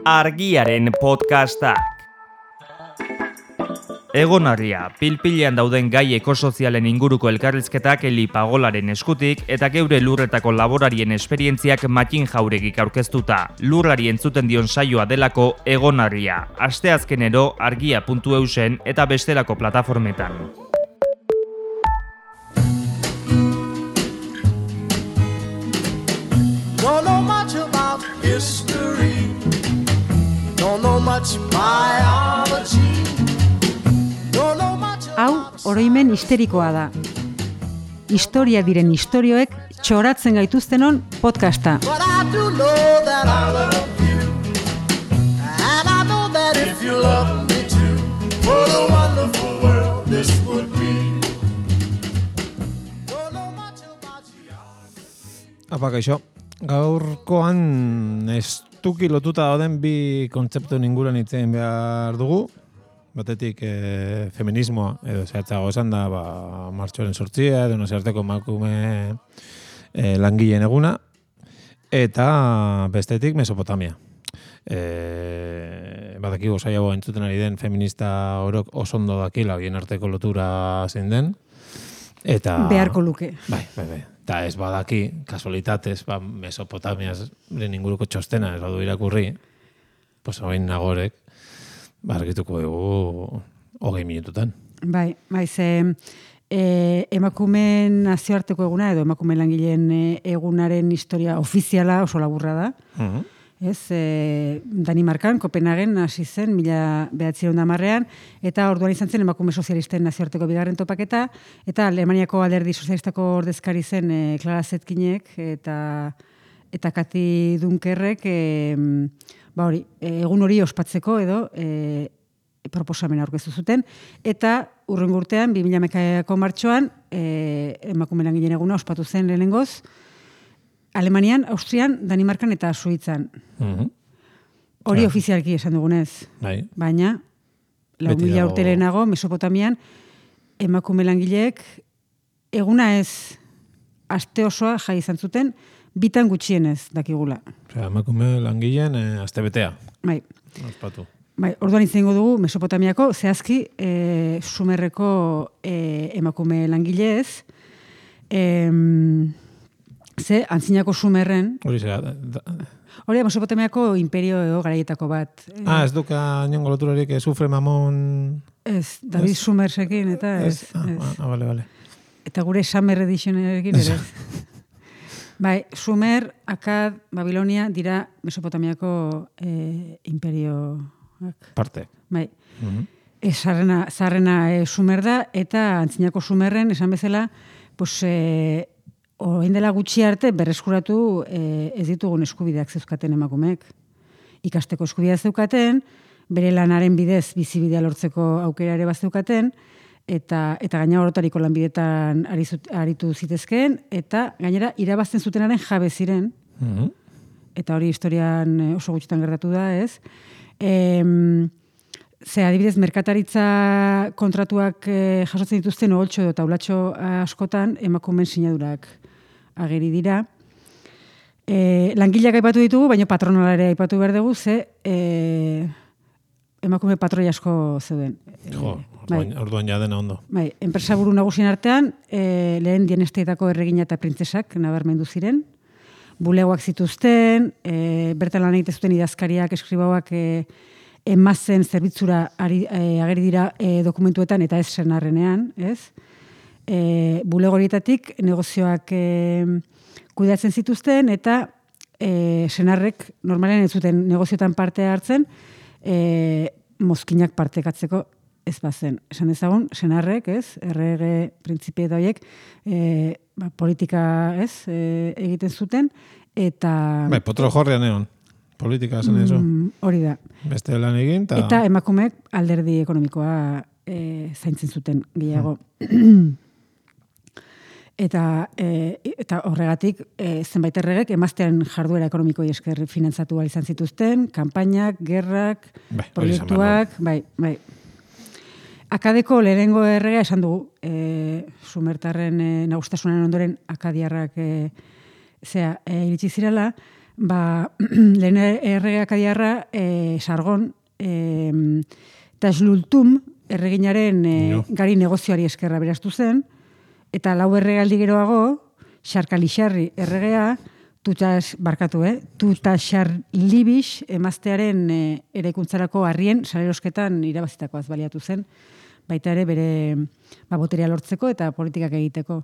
Argiaren podcastak. Egonarria, pilpilean dauden gai ekosozialen inguruko elkarrizketak Eli Pagolaren eskutik eta geure lurretako laborarien esperientziak Matin Jauregik aurkeztuta. Lurrari entzuten dion saioa delako Egonarria. Asteazkenero argia.eusen eta bestelako plataformetan. Don't know much about history. Don't know much biology. Don't know much Hau, oroimen histerikoa da. Historia diren istorioek txoratzen gaituztenon podcasta. but I do know that I love you. And I know that if you love me too, what a wonderful world this would be. Don't know much about you. Apa, kaixo. Gaurkoan estuki lotuta dauden bi kontzeptu inguruan hitz egin behar dugu. Batetik feminismoa, edo zehatzago esan da, martxoaren 8, edo nazioarteko emakume langileen eguna, eta bestetik Mesopotamia. Badakigu saiago entzuten ari den feminista orok oso ondo dakila bien arteko lotura zein den. Eta Beharko luke. Bai. Eta ez badaki, kasualitatez, Mesopotamiaren inguruko txostena ez badu irakurri, pues hain nagorek, argituko dugu 20 minututan. Bai, ze emakumeen nazioarteko eguna edo emakumeen langileen egunaren historia ofiziala oso laburra da. Ez, Danimarkan, Kopenhagen hasi zen 1910ean, eta orduan izan zen emakume sozialisten nazioarteko bigarren topaketa, eta Alemaniako alderdi sozialistako ordezkari zen Clara Zetkinek eta Kati Dunkerrek egun hori ospatzeko edo proposamena aurkeztu zuten, eta hurrengo urtean 2011ko martxoan emakume langileen eguna ospatu zen lehenengoz Alemanian, Austrian, Danimarkan eta Suitzan. Hori ofizialki esan dugunez. Bai. Baina, 4.000 urte lehenago, Mesopotamian, emakume langileek eguna ez aste osoa jai izan zuten, bitan gutxienez dakigula. Osea, emakume langileen astebetea. Bai. Ospatu. Bai, orduan izango dugu Mesopotamiako, zehazki Sumerreko emakume langileez, ze antzinako Sumerren, Hori zera. hori Mesopotamiako imperio edo garaietako bat. Ez duka inongo loturarik Sufre Mamon... Ez, David Sumersekin, eta ez. Bale. Eta gure Summer Editionerekin ere. Bai, Sumer, Akkad, Babilonia dira Mesopotamiako imperioak. Parte. Bai. Zarrena Sumer da, eta antzinako Sumerren, esan bezala, pues, orain dela gutxi arte berreskuratu ez ditugun eskubideak zeuzkaten emakumeek. Ikasteko eskubidea zeukaten, bere lanaren bidez bizibidea lortzeko aukera ere bazeukaten, eta gaina orotariko lanbidetan aritu zitezkeen, eta gainera irabazten zutenaren jabe ziren, eta hori historian oso gutxitan gertatu da, ez? Adibidez, merkataritza kontratuak jasotzen dituzten oholtxo edo taulatxo askotan emakumeen sinadurak ageri dira. Langileak aipatu ditugu, baina patronala ere aipatu behar dugu, ze emakume patroi asko zeuden. Orduan ja dena ondo. Bai, enpresaburu nagusien artean, lehen dienesteetako erregina eta printzesak nabarmendu ziren, bulegoak zituzten, bertan lan egite zuten idazkariak, eskribauak emazen zerbitzura ageri dira dokumentuetan eta ez senarrenean, ez? Bulego horietatik negozioak kudeatzen zituzten eta senarrek normalen ez zuten negozioetan parte hartzen mozkinak partekatzeko ez bazen. Esan dezagun, senarrek, ez? Errege printzipie eta horiek politika, ez? Egiten zuten eta... Bai, potro jorrean egon. Politika zen eso. Hori da. Beste lan egin, eta emakumeek alderdi ekonomikoa zaintzen zuten gehiago. Eta horregatik zenbait erregek emaztearen jarduera ekonomikoi esker finantzatu izan zituzten, kanpainak, gerrak, proiektuak, bai. Akadeko lehenengo erregea esan dugu, Sumertarren nagustasunen ondoren akadiarrak iritsi zirela, lehen erregeak adiarra, Sargon, eta Slultum, erreginaren gari negozioari eskerra beraztu zen, eta 4 erregaldi geroago, Xarkalixarri erregea, Tutaxarlibix emaztearen eraikuntzarako harrien salerosketan irabazitakoaz baliatu zen, baita ere bere boterea lortzeko eta politikak egiteko.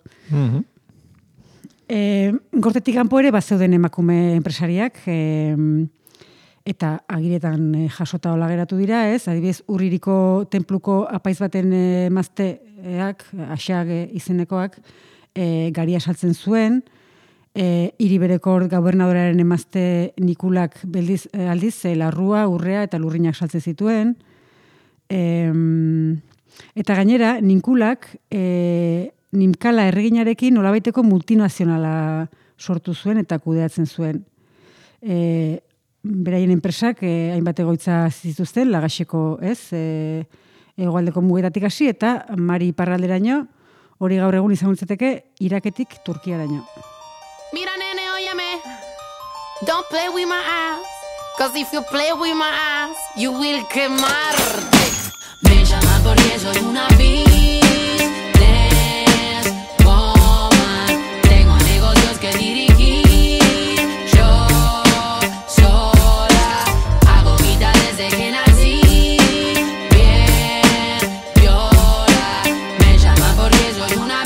Gortetik kanpo ere bazeuden emakume enpresariak, eta agiretan jasota hola geratu dira, ez? Adibidez, Urririko tenpluko apaiz baten emazteak, Axag izenekoak, garia saltzen zuen, Hiribereko gobernadoraren emazte Nikulak aldiz, larrua, urrea eta lurrinak saltzen zituen. Eta gainera, Ninkulak Nimkala erreginarekin nolabaiteko multinazionala sortu zuen eta kudeatzen zuen. Beraien enpresak hainbat egoitza zituzten, Lagaxeko, hegoaldeko mugetatik hasi eta Mari iparralderaino, hori gaur egun izango litzateke Iraketik Turkiaraino. Mira, nene, óyeme. Don't play with my ass. Cause if you play with my ass, you will quemarte. Me llaman porque soy una businesswoman. Tengo negocios que dirigir. Yo sola hago guita desde que nací. Bien, viola. Me llaman porque soy una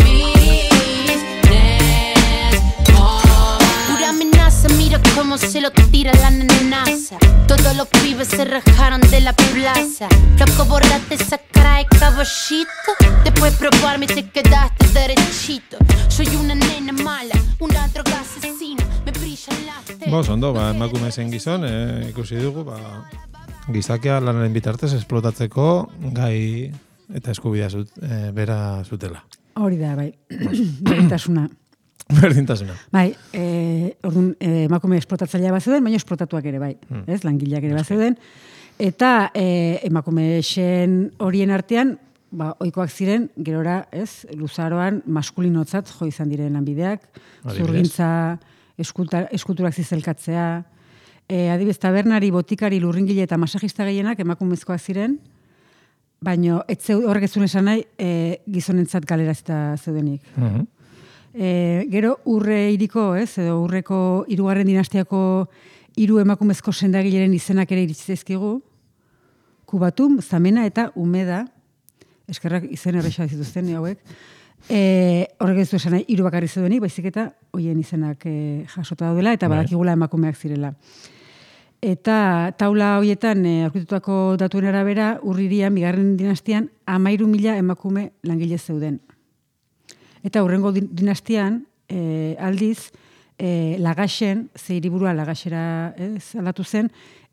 mira cómo se lo tira la nenaza. Todos los pibes se rajaron de la plaza. Loco, borrate esa cara de caballito. Después probarme te quedaste derechito. Soy una nena mala, una droga asesina. Me brillan las telas. Ondo, emakume zen gizon, ikusi dugu, gizakia lanaren bitartez esplotatzeko gai eta eskubidea bera zutela. Hori da, bai. Berdintasuna. Berdintasuna. Bai, orduan emakume esplotatzailea bat zeuden, baina esplotatuak ere bai, ez? Langileak ere bat zeuden. Eta emakume xen horien artean, ohikoak ziren, gerora, ez, luzaroan maskulinotzat jo izan diren lanbideak, zurgintza, eskulturak zizelkatzea, adibidez, tabernari, botikari, lurringile eta masajista gehienak emakumezkoak ziren, baina horrek ez zuen esan nahi gizonentzat galerazita zeudenik. Gero urre iriko, edo urreko 3. dinastiako 3 emakumezko sendagileren izenak ere iritsi zaizkigu, Kubatum, Zamena eta Umeda, eskerrak izen erresa zituzten hauek, horrek ez du esan nahi 3 bakarri zeudenik, baizik eta hoien izenak jasota daudela eta badakigula emakumeak zirela. Eta taula hoietan aurkitutako datuen arabera, Urririan, 2. dinastian, 13.000 emakume langile zeuden. Eta hurrengo dinastian, aldiz, Lagaxen, hiriburua Lagaxera aldatu zen,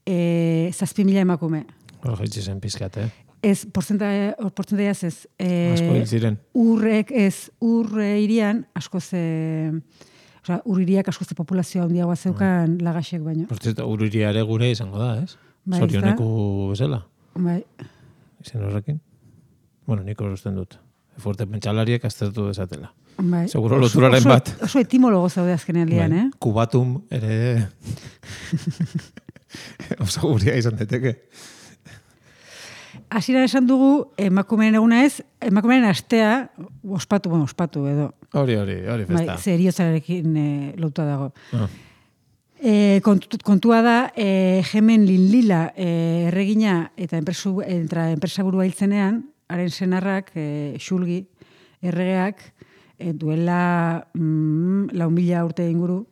7.000 emakume. Hor jaitsi zen pizkat, Ez, portzentaiaz ez. Asko hil ziren. Urre irian, askoz, urririak askoz populazioa handiagoa zeukan Lagaxek baino. Portzenta, urriria ere gure izango da, ez? Zorioneku bezala. Bai. Izen horrekin? Bueno, nik usten dut. Fuerte pentsalariek aztertu desatela. Bai. Seguro loturaren bat. Oso etimologo zaude azkenean lian, Kubatum ere oso guria izan daiteke. Hasieran esan dugu, emakumeen eguna ez, emakumeen astea ospatu edo. Hori festa. Bai, eriotzarekin lotua dago. Kontua da, Hemen Linlila erregina eta enpresaburua hiltzenean, haren senarrak, Xulgi, erregeak, duela 4.000 urte inguru,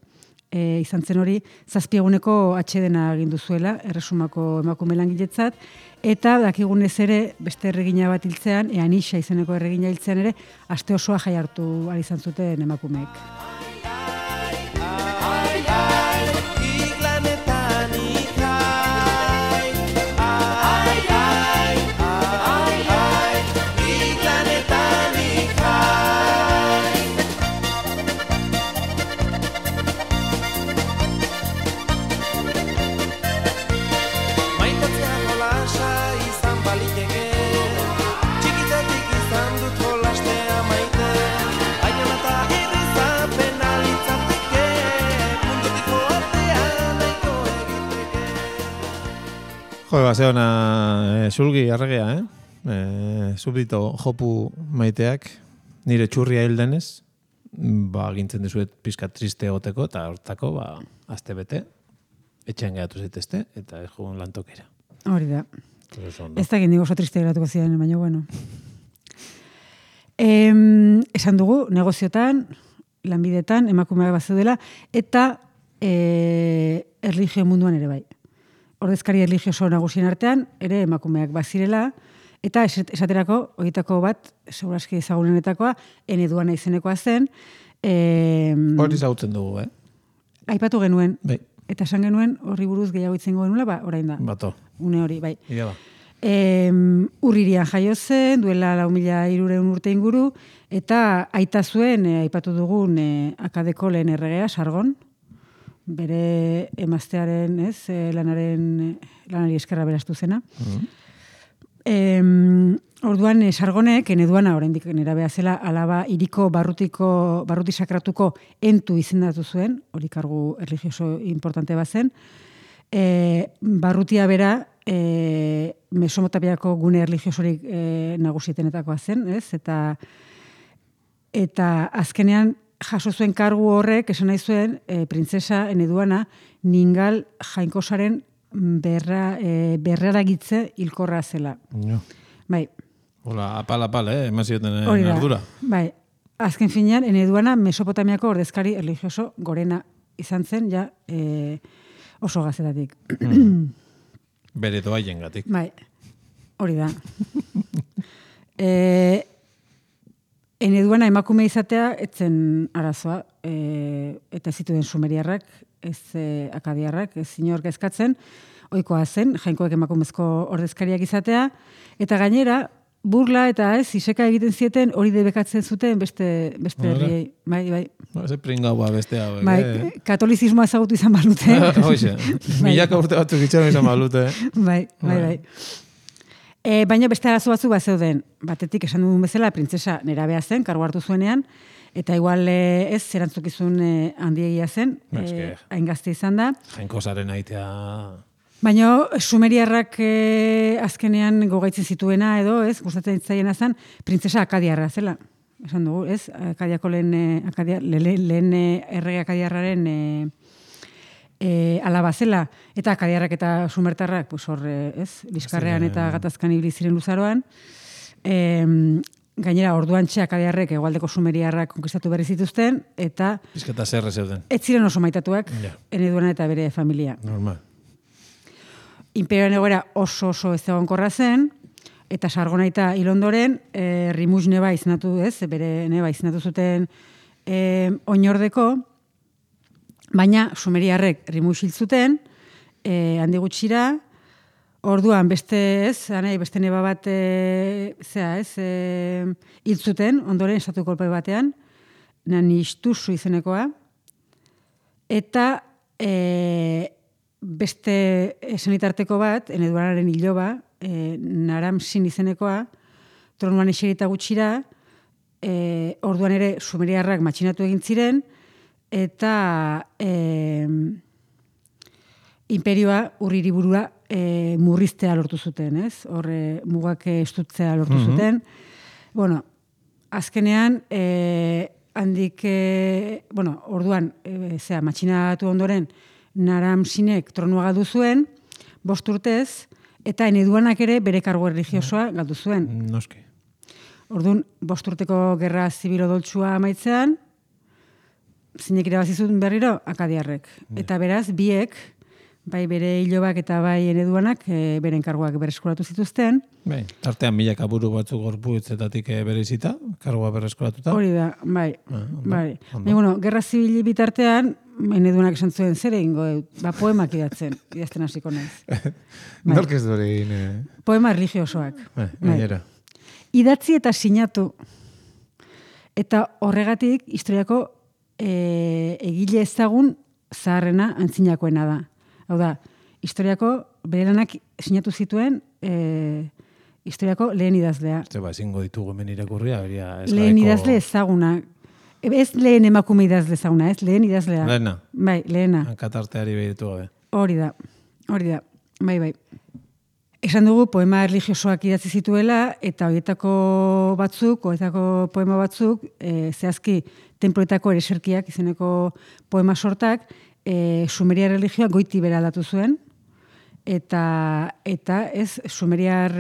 izan zen hori, 7 eguneko atxedena agindu zuela, erresumako emakume langiletzat, eta dakigunez ere, beste erregina bat hiltzean, Eanixa izeneko erregina hiltzean ere, aste osoa jai hartu ari izan zuten emakumeek. Txikitatik izan dut jolastea maite, baina eta irrizapen Jo, baseona sulgi arregea, Subdito jopu maiteak, nire txurria hil denez, gintzen dizuet pizka triste egoteko, eta hortako, azte bete, etxean gehatu zaitezte, eta ez jugun lantokera. Hori da. Ez da gindigo oso triste geratuko ziren, baina bueno. Esan dugu, negoziotan, lanbidetan, emakumeak bat zeudela, eta erlijio munduan ere bai. Ordezkari erlijioso nagusien artean, ere emakumeak bazirela, eta esaterako, horietako bat, seguraski ezagunenetakoa, eneduana izenekoa zen. Hori zautzen dugu, Aipatu genuen. Bai. Eta esan genuen, horri buruz gehiago itzengo genuela, orain da. Bato. Une hori, bai. Ia ba. Urririan jaio zen, duela 4.300 urte inguru, eta aita zuen, aipatu dugun, akadeko lehen erregea, Sargon, bere emaztearen, lanari eskerra beraztu zena. Orduan, Sargonek, eneduana, oraindik nerabea zela, alaba iriko barruti sakratuko entu izendatu zuen, hori kargu erlijioso importante bazen. Barrutia bera, Mesopotapiako gune erlijiosorik nagusietenetakoa zen, ez? Eta azkenean jaso zuen kargu horrek, esan nahi zuen, printzesa eneduana, ningal jainkosaren berraragitze hilkorra zela. No. Bai. Hola, apal, emazioten ardura. Bai. Azken finean, eneduana Mesopotamiako ordezkari erlijioso gorena izan zen, ja oso gazetatik. Bere doaien gatik. Bai, hori da. Eneduana emakume izatea, etzen arazoa, eta ez zituen sumeriarrak, ez akadiarrak, ez inork eskatzen, ohikoa zen, jainkoek emakumezko ordezkariak izatea, eta gainera, burla eta iseka egiten zieten hori debekatzen zuten beste herriei. Bai. Ze pringaua beste hau. Bai, katolizismoa ezagutu izan balute. Hoxe, milaka urte batzuk itxaron izan balute. Bai. Baina beste arazo batzu bat zeuden, batetik esan dugun bezala, printzesa nerabea zen, kargu hartu zuenean, eta igual ez, zerantzukizun handiegia zen, hain gazte izan da. Jainkosaren aitea... Baina sumeriarrak azkenean gogaitzen zituena edo, ez, gustatzen itzaiena zen, printzesa akadiarra zela. Esan dugu, ez, akadiako lehen errege akadiarraren alaba zela, eta akadiarrak eta sumertarrak, pues hor, ez, bizkarrean eta gatazkan ibili ziren luzaroan. Gainera, orduan akadiarrek egualdeko sumeriarrak konkistatu berri zituzten, eta... Bizketa zerre zeuden. Ez ziren oso maitatuak, eneduana eta bere familia. Normal. Imperioaren egoera oso ezagonkorra zen, eta Sargonaita hil ondoren, Rimus neba izenatu, ez, bere neba izenatu zuten oinordeko, baina sumeriarrek Rimus hil zuten, handi gutxira, orduan beste neba bat hil zuten, ondoren estatu kolpe batean, Nanistuzu izenekoa, eta beste senitarteko bat, eneduanaren iloba, Naram-Sin izenekoa, tronuan eserita gutxira, orduan ere sumeriarrak matxinatu egin ziren, eta imperioa urririburua murriztea lortu zuten, ez? Horre mugak estutzea lortu zuten. Bueno, azkenean, handik, orduan, matxinatu ondoren, Naram-Sinek tronua galdu zuen, 5 urtez, eta eneduanak ere bere kargu erlijiosoa galdu zuen. Noski. Orduan, 5 urteko gerra zibilo doltsua amaitzean, zinek irabazizun berriro, akadiarrek. Eta beraz, biek, bai bere hilobak eta bai eneduanak, beren karguak berreskuratu zituzten. Bai, tartean milaka buru batzuk gorputzetatik berezita, kargua berreskuratuta. Hori da, bai. Baina, gerra zibili bitartean, eneduanak esan zuen zer egingo, poemak idazten hasiko naiz. Nork ez dure egin... Poema religiosoak. Gainera. Idatzi eta sinatu. Eta horregatik, historiako egile ezagun zaharrena antzinakoena da. Hau da, historiako berelanak sinatu zituen historiako lehen idazlea. Ezingo ditugu hemen irakurria. Lehen idazle ezaguna. Ez lehen emakume idazle ezaguna, ez? Lehen idazlea. Lehena. Bai, lehena. Hankatarteari behitu gabe. Hori da. Bai. Esan dugu poema erlijiosoak idatzi zituela, eta horietako poema batzuk, zehazki tenploetako ereserkiak izeneko poema sortak, sumeriar religioa goiti bera aldatu zuen, eta ez sumeriar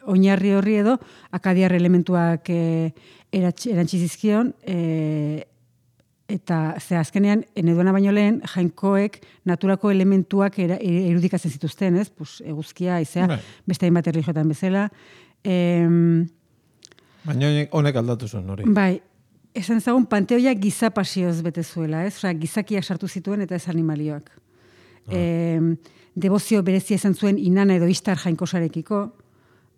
oinarri horri edo akadiar elementuak erantzi zizkion, eta azkenean, eneduana baino lehen, jainkoek naturako elementuak irudikatzen zituzten, ez? Eguzkia, haizea, beste hainbat erlijioetan bezala. Baina honek aldatu zuen, hori. Bai, esan ezagun panteoia giza pasioz bete zuela, ez? Gizakiak sartu zituen eta ez animalioak. Debozio berezia izan zuen Inanna edo Ishtar jainkosarekiko,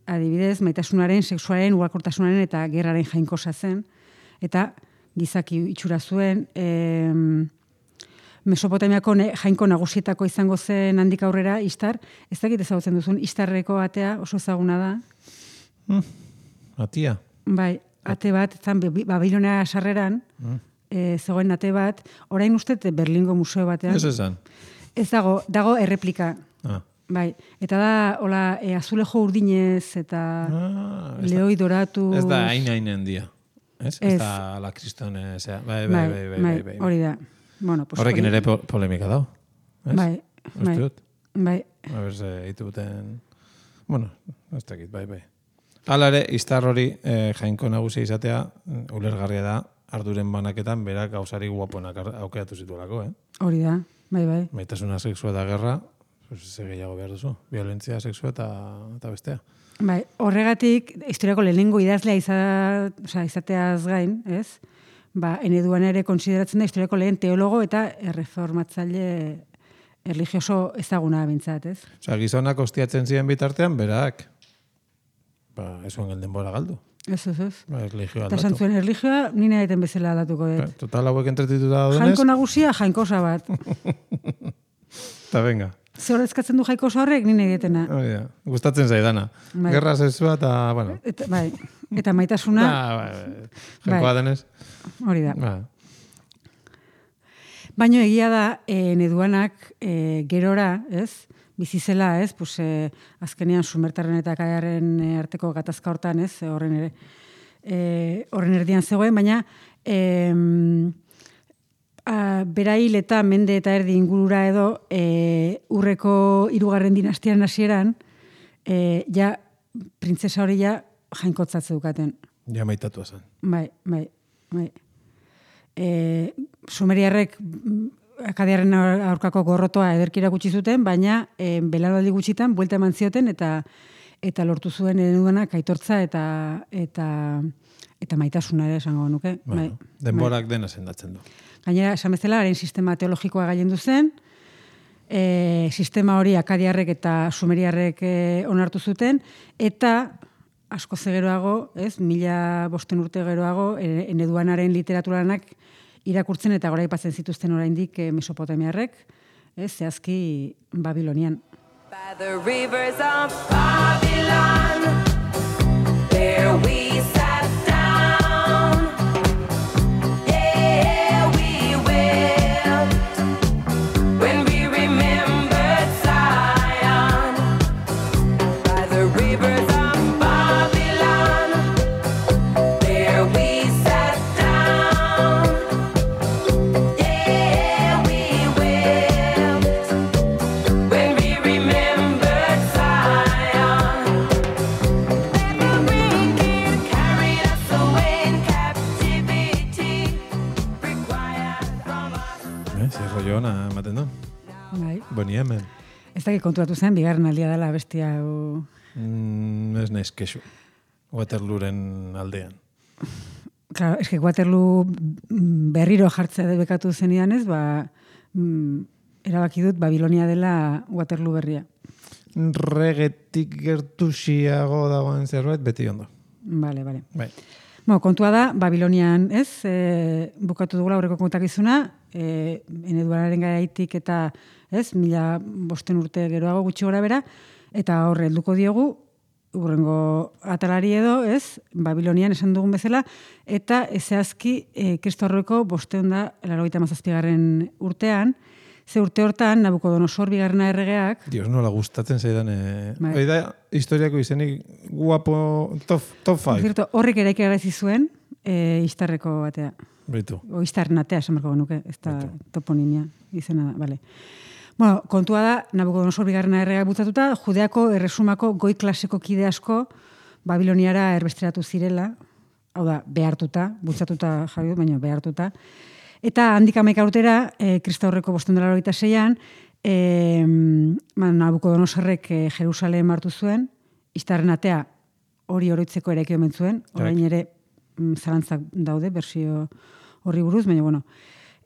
adibidez, maitasunaren, sexuaren, ugalkortasunaren eta gerraren jainkosa zen, eta gizaki itxura zuen, Mesopotamiako jainko nagusietako izango zen handik aurrera, Ishtar, ez dakit ezagutzen duzun, Ishtarreko atea oso ezaguna da. Atia? Bai, ate bat, zan Babilonia sarreran, zegoen ate bat, orain uste Berlingo museo batean. Ez esan? Ez dago erreplika. Bai, eta da, hola, azulejo urdinez eta lehoi doratu. Ez da hain dia. Ez da la kristone, bai. Hori da. Bueno, pues horrekin ere polemika dago. Bai. A ber, hitu buten... Bueno, ez dakit, bai. Hala ere, Ishtar hori jainko nagusia izatea, ulergarria da, arduren banaketan, berak gauzari guapoenak aukeratu zituelako, Hori da, bai. Maitasuna sexua eta gerra, ze gehiago behar duzu, violentzia sexua eta bestea. Bai, horregatik, historiako lehenengo idazlea izateaz gain, ez? Eneduana ere konsideratzen da historiako lehen teologo eta erreformatzaile erlijioso ezaguna bintzat, ez? Gizonak ostiatzen ziren bitartean, berak, ez zuen denbora galdu. Ez. Erlijioa aldatu. Eta santzuen erlijioa, nina egiten bezala aldatuko dut. Total hauek entretituta daudenez. Jainko nagusia, jainkosa bat. Eta venga. Ze horrezkatzen du jainkosa horrek, nina egitena. Gustatzen zaidana. Gerra sexua eta, bueno. Bai, eta maitasuna. Jainkoa denez. Hori da. Baina egia da, Neduanak gerora, ez? Bizizela, ez? Azkenean sumertarren eta akadiarren arteko gatazka hortan, ez? Horren erdian zegoen, baina bera hil eta mende eta erdi ingurura edo urreko 3. dinastiaren hasieran ja printzesa hori ja jainkotzatze dukaten. Ja maitatua zen. Bai. Sumeriarrek akadiarren aurkako gorrotoa ederkira gutxi zuten, baina belaraldi gutxitan buelta eman zioten eta lortu zuen Eneduanak aitortza eta maitasuna ere esango nuke. Denborak dena sendatzen du. Gainera, esan bezala, haren sistema teologikoa gailendu zen, sistema hori akadiarrek eta sumeriarrek onartu zuten, eta asko zegeroago, 1500 urte geroago, Eneduanaren literaturanak irakurtzen eta goraipatzen zituzten oraindik mesopotamiarrek, zehazki Babilonian. By the rivers of Babylon, there we sat down. Yeah, we wept when we remembered Zion. By the rivers of Babylon, there we sat down. Yeah, we wept when we remembered Zion. That the wicked carried us away in captivity, required from us. Zer rollo ona ematen du. Bai. Boni hemen. Ez dakit konturatu zen, bigarren aldia dela bestia hau. Ez naiz kexu. Waterlooren aldean. Claro, eske Waterloo berriro jartzea debekatu zenidan ez, erabaki dut Babilonia dela Waterloo berria. Regetik gertuxiago dagoen zerbait, beti ondo. Vale. Bai. Kontua da, Babilonian, ez, bukatu dugula aurreko kontakizuna, Eneduanaren garaitik eta, 1500 urte geroago gutxi gora bera, eta horre helduko diogu, urrengo atalari edo, Babilonian esan dugun bezala, eta zehazki Kristo aurreko 587. urtean, Ze urte hortan, Nabucodonosor bigarrena erregeak, Dios, nola gustatzen zaidan. Bai. Hori da, historiako izenik guapo top 5. zirto, horrek eraiki garazi zuen, Istarreko batea. Beitu. O Istarren atea, esan berko genuke, ez da toponimia izena da, bale. Bueno, kontua da, Nabucodonosor bigarrena erregeak bultzatuta, Judeako erresumako goi klaseko kide asko Babiloniara erbesteratu zirela, hau da, behartuta, bultzatuta jarri, baina behartuta. Eta handik 11 urtera, Kristaurreko 586an, Nabucodonosorrek Jerusalem hartu zuen, Istarren atea hori oroitzeko eraiki omen zuen, orain ere zalantzak daude, bersio horri buruz, baina bueno.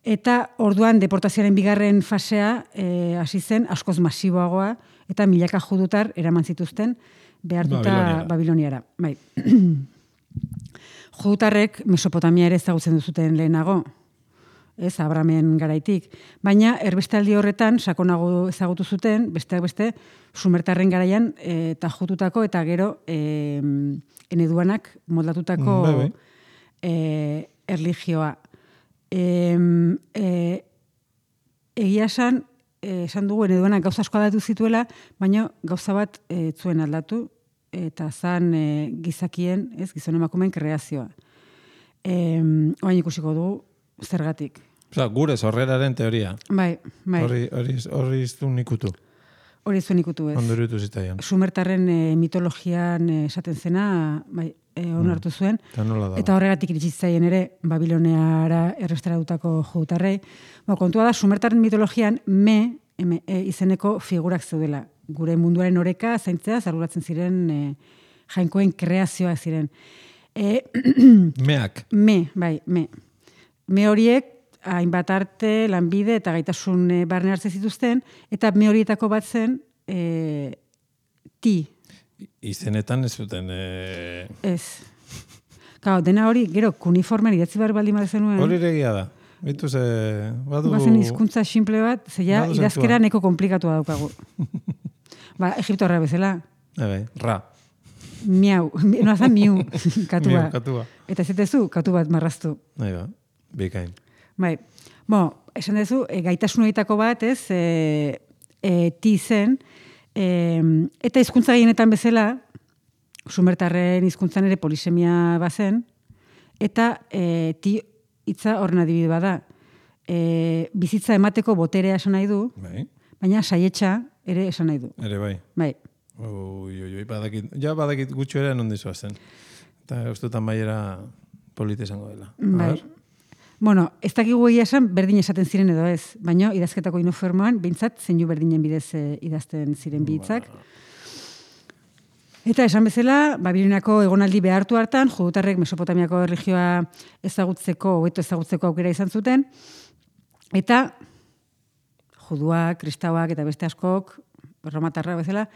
Eta orduan deportazioaren bigarren fasea hasi zen askoz masiboagoa eta milaka judutar eraman zituzten behartuta Babiloniara. Bai. Judutarrek Mesopotamia ere ezagutzen duzuten lehenago, ez Abramen garaitik, baina erbestaldi horretan sakonago ezagutu zuten, besteak beste, Sumertarren garaian eta jututako eta gero eneduanak moldatutako erlijioa. Egia esan dugu eneduanak gauza asko aldatu zituela, baina gauza bat zuen aldatu, eta zan gizakien, ez, gizon emakumeen kreazioa. Oain ikusiko dugu zergatik. Osa, gure sorreraren teoria. Bai. Horri iztun ikutu. Hori zuen ikutu ez. Ondoritu zitaian. Sumertarren mitologian esaten zena, bai, onartu zuen. Eta horregatik iritsi zitzaien ere Babiloniara errestaratutako judutarrei. Kontua da, Sumertarren mitologian izeneko figurak zeudela. Gure munduaren oreka zaintzea arduratzen ziren jainkoen kreazioa ziren. Meak. Bai. Me horiek hainbat arte, lanbide eta gaitasun barne hartzen zituzten, eta me horietako bat zen ti. Izenetan ez zuten... Ez. Kao, dena hori, gero, kuniformen idatzi behar baldin bat zenuen. Hori regia da. Bitu ze... Bazen hizkuntza simple bat, zeia idazkera neko komplikatua daukagu. Egiptorra bezala. Ra. Miau. Noazan miu, katua. Miu, katua. Eta ez dezu, katu bat marraztu. Bikain. Bai. Esan dezu, gaitasun horietako bat, ez, ti zen, eta hizkuntza gehienetan bezala, Sumertarren hizkuntzan ere polisemia bazen, eta ti hitza horren adibide bada. Bizitza emateko boterea esan nahi du, baina saietxa ere esan nahi du. Ere bai. Bai. Badakit gutxo ere non dizua zen. Eta ustutan baiera polite esango dela. Bai. Bueno, ez dakigu egia esan berdin esaten ziren edo ez, baina idazketako inofermoan, behintzat zeinu berdinen bidez idazten ziren bihitzak. Eta esan bezala, Babiloniako egonaldi behartu hartan, judutarrek Mesopotamiako erlijioa hobeto ezagutzeko aukera izan zuten, eta juduak, kristauak eta beste askok, romatarra bezala,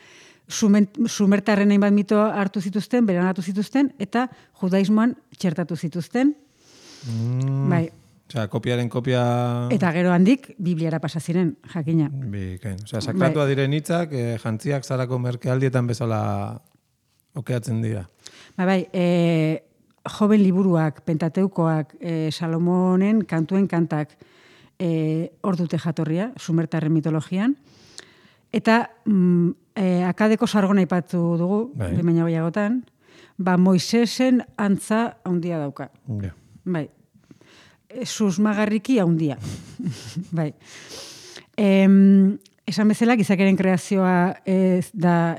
Sumertarren hainbat mito hartu zituzten, beranatu zituzten, eta judaismoan txertatu zituzten. Bai. Osea, kopiaren kopia... Eta gero handik, Bibliara pasa ziren, jakina. Bikain. Osea, sakratua diren hitzak, jantziak zarako merkealdietan bezala okeatzen dira. Bai, joven liburuak, Pentateukoak, Salomonen kantuen kantak hor dute jatorria, Sumertarren mitologian. Eta akadeko sargona aipatu dugu, baina gehiagotan, Moisesen antza handia dauka. Bai. Susmagarriki handia. Bai. Esan bezala, gizakeren kreazioa ez da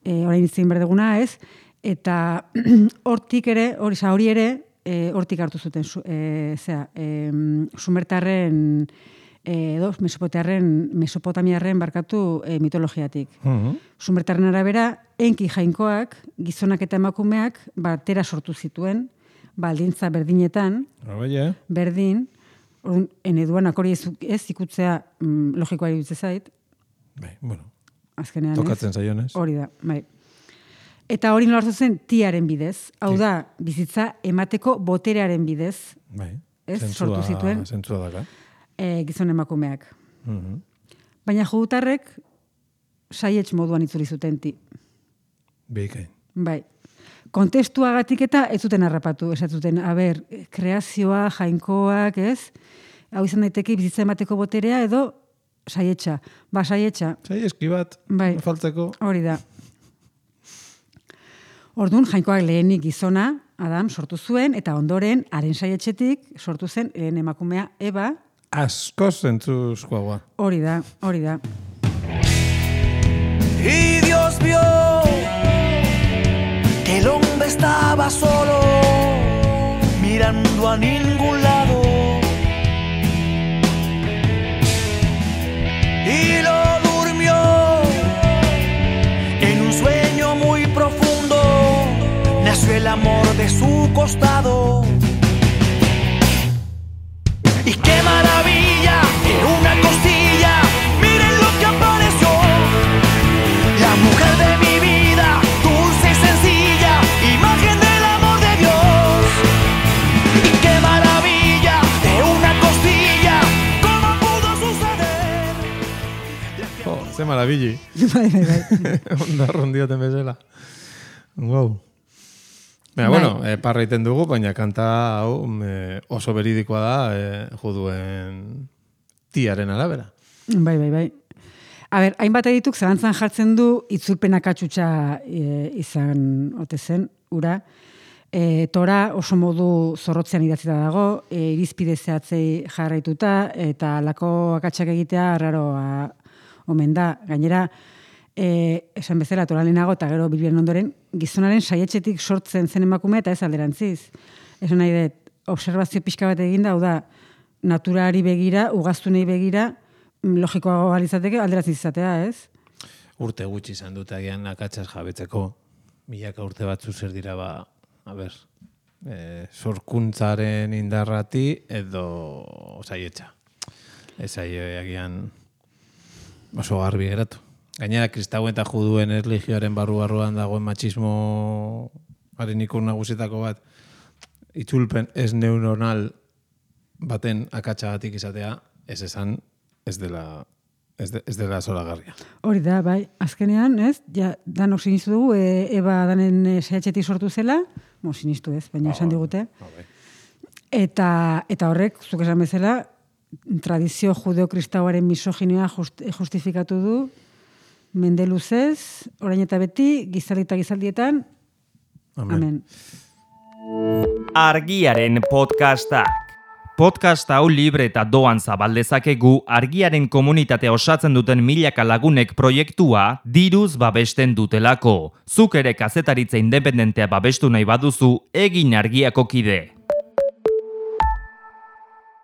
orain itzin berdeguna ez, eta hortik ere, hori ere, hortik hartu zuten, Sumertarren Mesopotamiarren mitologiatik. Sumertarren arabera, enki jainkoak, gizonak eta emakumeak, batera sortu zituen, baldintza berdinetan, berdin, eneduanak hori ez ikutzea logikoa iruditzen zait. Azkenean ez. Tokatzen zaionez. Hori da, bai. Eta hori nola hartu zen tiaren bidez. Hau da, bizitza emateko boterearen bidez. Ez, sortu zituen. Zentzua daka. Gizon emakumeak. Baina judutarrek saietx moduan itzuli zuten ti. Bikain. Bai. Kontestuagatik eta ez zuten harrapatu, esatzuten, kreazioa, jainkoak, ez? hau izan daiteke bizitza emateko boterea edo saietxa. Ba, saietxa, Zai eski bat, Bai. faltzeko. hori da. Orduan, Jainkoak lehenik gizona, Adam, sortu zuen, eta ondoren, haren saietxetik sortu zen lehen emakumea Eva, Askoz zentzuzkoagoa. hori da, hori da. Y Dios vio que el hombre estaba solo, mirando a ningún lado. Y lo durmió en un sueño muy profundo. Nació el amor de su costado. Y qué maravilla, en una costilla, miren lo que apareció. La mujer de mi vida, dulce y sencilla, imagen del amor de Dios. Y qué maravilla, de una costilla, ¿cómo pudo suceder? Ze marabilli. Bai, bai, bai. Onda rondioten bezala. Wow. Baina, bueno, parra iten dugu, baina kanta hau oso beridikoa da juduen tiaren arabera. Bai, bai, bai. A ber, hainbat edituk zalantzan jartzen du itzulpenak atxutxa izan ote zen, ura. Tora oso modu zorrotzean idatzita dago, irizpide zehatzei jarraituta, eta lako akatsak egitea raroa omen da. Gainera, esan bezala, Tora lehenago eta gero Biblian ondoren, gizonaren saietxetik sortzen zen emakumea eta ez alderantziz. Esan nahi dut, observazio pixka bat eginda, hau da, naturari begira, ugaztunei begira, logikoago alizateke alderantziz izatea, ez? Urte gutxi izan dut agian akatsaz jabetzeko. Milaka urte batzu zer dira sorkuntzaren indarrati edo saietxa. Ez agian oso garbi geratu. Gainera, kristauen eta juduen erlijioaren barruan dagoen matxismoaren ikur nagusietako bat, itzulpen ez neuronal baten akatsagatik izatea, ez esan, ez dela zoragarria. Hori da, bai, azkenean, ez? Ja, danok sinistu dugu, Eba danen saietxetik sortu zela, sinistu ez, baina esan digute. Eta horrek, zuk esan bezala, tradizio judeo-kristauaren misoginia justifikatu du, mende luzez, orain eta beti, gizaldi eta gizaldietan, amen. Argiaren podcastak. Podcast hau libre eta doan zabaldezakegu Argiaren komunitatea osatzen duten milaka lagunek proiektua diruz babesten dutelako. Zuk ere kazetaritza independentea babestu nahi baduzu, egin Argiako kide.